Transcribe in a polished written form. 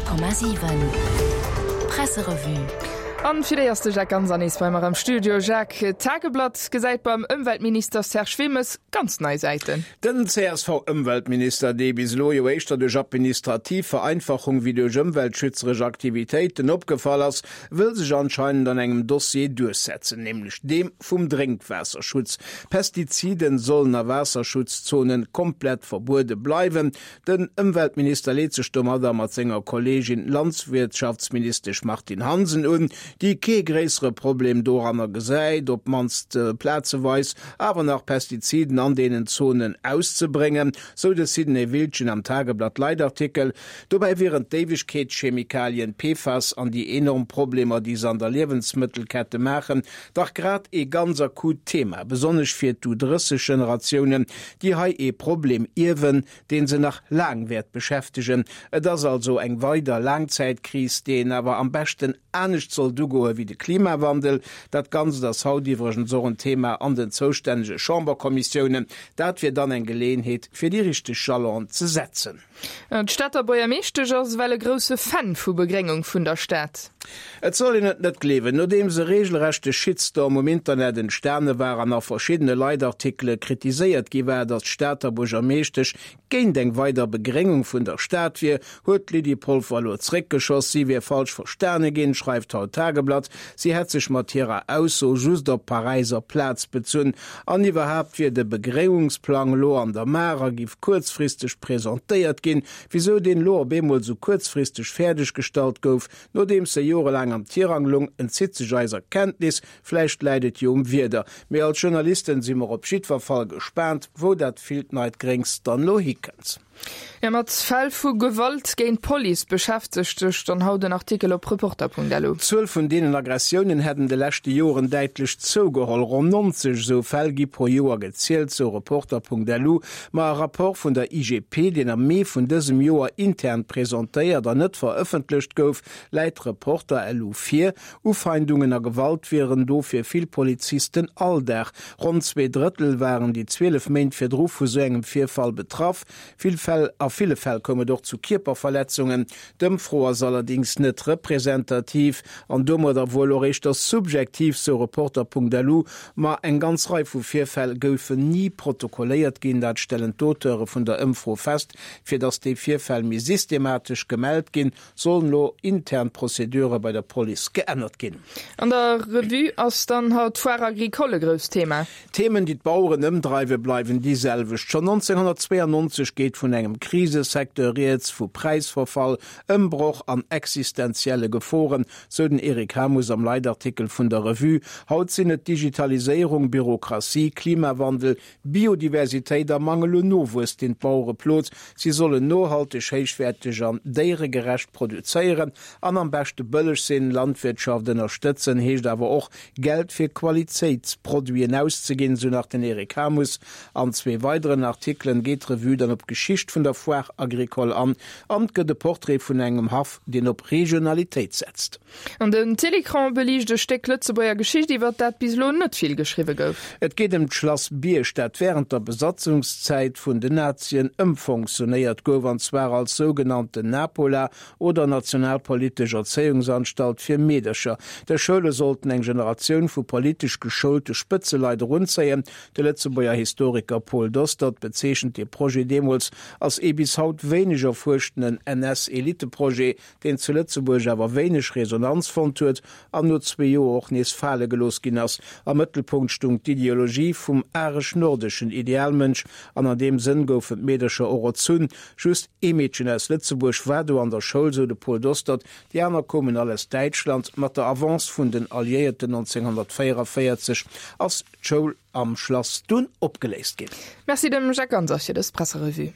100,7 Presserevue. An fir déi ass de Jacques Ganser nees bei mer am Studio. Jacques, d'Tageblatt gesäit beim Ëmweltminister Serge Wilmes ganz nei Säiten. Den CSV-Ëmweltminister, dee bis elo jo éischter duerch administrativ Vereinfachung wéi duerch ëmweltschützeresch Aktivitéiten opgefall ass, wëll sech anscheinend an engem Dossier duerchsetzen, nämlech deem vum Drénkwaasserschutz. Pestiziden sollen a Waasserschutzzonen komplett verbuede bleiwen. Den Ëmweltminister leet sech domadder mat senger Kolleegin Landwirtschaftsministesch Martine Hansen un, déi kee gréissere Problem doranner gesäit, op d'mannst plazeweis awer nach Pestiziden an deenen Zonen auszebréngen, sou de Sidney Wiltgen am Tageblatt-Leitartikel. Dobäi wieren d'Éiwegkeetschemikalien PFAS an déi enorm Problemer, déi se an der Liewensmëttelkette maachen, dach grad ee ganz akut Thema, besonnesch fir d'U-30-Generatiounen, déi hei ee Problem ierwen, dee se nach laang wäert beschäftegen. Et ass also eng weider Laangzäitkris, déi een awer am beschten anescht sollt ugoe wéi de Klimawandel. Dat Ganzt ass haut iwwregens och en Thema an den zoustännege Chamberkommissiounen. Dat wier dann eng Geleeënheet, fir déi richteg Jalonen ze setzen. D'Stater Buergermeeschtesch ass ewell e grousse Fan vu Begréngung vun der Stad. Et soll een et net gleewen, nodeems e reegelrechte Shitstorm um Internet entstane war an a verschiddene Leitartikele kritiséiert gi war, datt d'Stater Buergermeeschtesch géint eng weider Begréngung vun der Stad wier, huet d'Lydie Polfer elo zréckgeschoss. Si wier falsch verstane ginn, schreift haut d'Tageblatt. Si hätt sech mat hirer Ausso just op d'Paräiser Plaz bezunn. An iwwerhaapt wier de Begréngungsplang lo an der Maach a giff kuerzfristeg presentéiert ginn. Wisou deen lo op eemol sou kuerzfristeg fäerdeg gestallt gouf, nodeems e jorelaang am Tirang lung, entzitt sech eiser Kenntnis. Vläicht läit et jo um Wieder. Mee als Journalisten si mer op jiddwer Fall gespaant, wou dat villt neit Gréngs dann lo hikënnt. Jo, mat Fäll vu Gewalt géint d'Police beschäftegt sech dann haut en Artikel op Reporter.lu. D'Zuel vun deenen Aggressiounen hätt en de leschte Joren däitlech zougeholl. Ronn 90 esou Fäll gi pro Joer gezielt, sou Reporter.lu. Ma e Rapport vun der IGP, deen am Mee vun dësem Joer intern presentéiert an net verëffentlecht gouf, läit Reporter.lu vir. Ufeindungen a Gewalt wieren do fir vill Polizisten Alldag. Ronn 2 Drëttel waren déi 12 Méint virdru vu sou engem Virfall betraff. Vill Fäll A ville Fäll koum et och zu Kierperverletzungen. D'Ëmfro ass allerdéngs net representativ an domadder wuel och éischter subjektiv, sou Reporter.lu. Ma eng ganz Rei vu Virfäll goufen ni protokolléiert ginn, dat stellen d'Auteure vun der Ëmfro fest. Fir datt déi Virfäll méi systematesch gemellt ginn, Sollen elo intern d'Prozedure bei der Police geännert ginn? An der Revue ass dann haut d'Foire Agricole e grousst Thema. D'Themen, déi d'Baueren ëmdreiwen, bleiwen déi selwecht. Schonn 1992 geet vun engem Krisesecteur rieds, vu Präisverfall, Ëmbroch an existenzielle Geforen, sou den Eric Hamus am Leitartikel vun der Revue. Haut sinn et Digitaliséierung, Bürokratie, Klimawandel, Biodiversitéit a Mangel un Nowuess, deen d'Bauere plot. Si sollen nohalteg, héichwäerteg an déieregerecht produzéieren an am beschte bëlleg sinn. Landwirtschaft ënnerstëtzen heescht awer och, Geld fir Qualitéitsproduiten auszeginn, sou nach den Eric Hamus. An zwee weideren Artikelen geet d'Revue dann op d'Geschicht vun der Foire agricole an an gëtt e Portrait vun engem Haff, deen op Regionalitéit setzt. An den Télécran beliicht e Stéck Lëtzebuerger Geschicht, iwwert dat bis elo net vill geschriwwe gouf. Et geet ëm d'Schlass Bierg, dat wärend der Besatzungszäit vun den Nazien ëmfonctionéiert gouf, an zwar als sougenannten Napola oder Nationalpolitesch Erzéiungsanstalt fir Meedercher. Dës Schoule sollten eng Generatioun vu politesch geschoulte Spëtzeleit erunzéien. De Lëtzebuerger Historiker Paul Dostert bezeechent dee Projet deemools als ee bis haut wéineg erfuerschtenen NS-Eliteprojet, deen zu Lëtzebuerg awer wéineg Resonanz fonnt huet an no zwee Joer och nees fale gelooss ginn ass. Am Mëttelpunkt stung d'Ideologie vum aresch-nordeschen Idealmënsch an an deem Sënn goufen d'Meedercher och erzunn. Just ee Meedchen aus Lëtzebuerg war do an der Schoul, sou de Paul Dostert, déi aner koumen all aus Däitschland. Mat der Avance vun den Alliéierten 1944 ass d'Schoul am Schlass dunn opgeléist ginn. Merci dem Jacques Ganser fir dës Presserevue.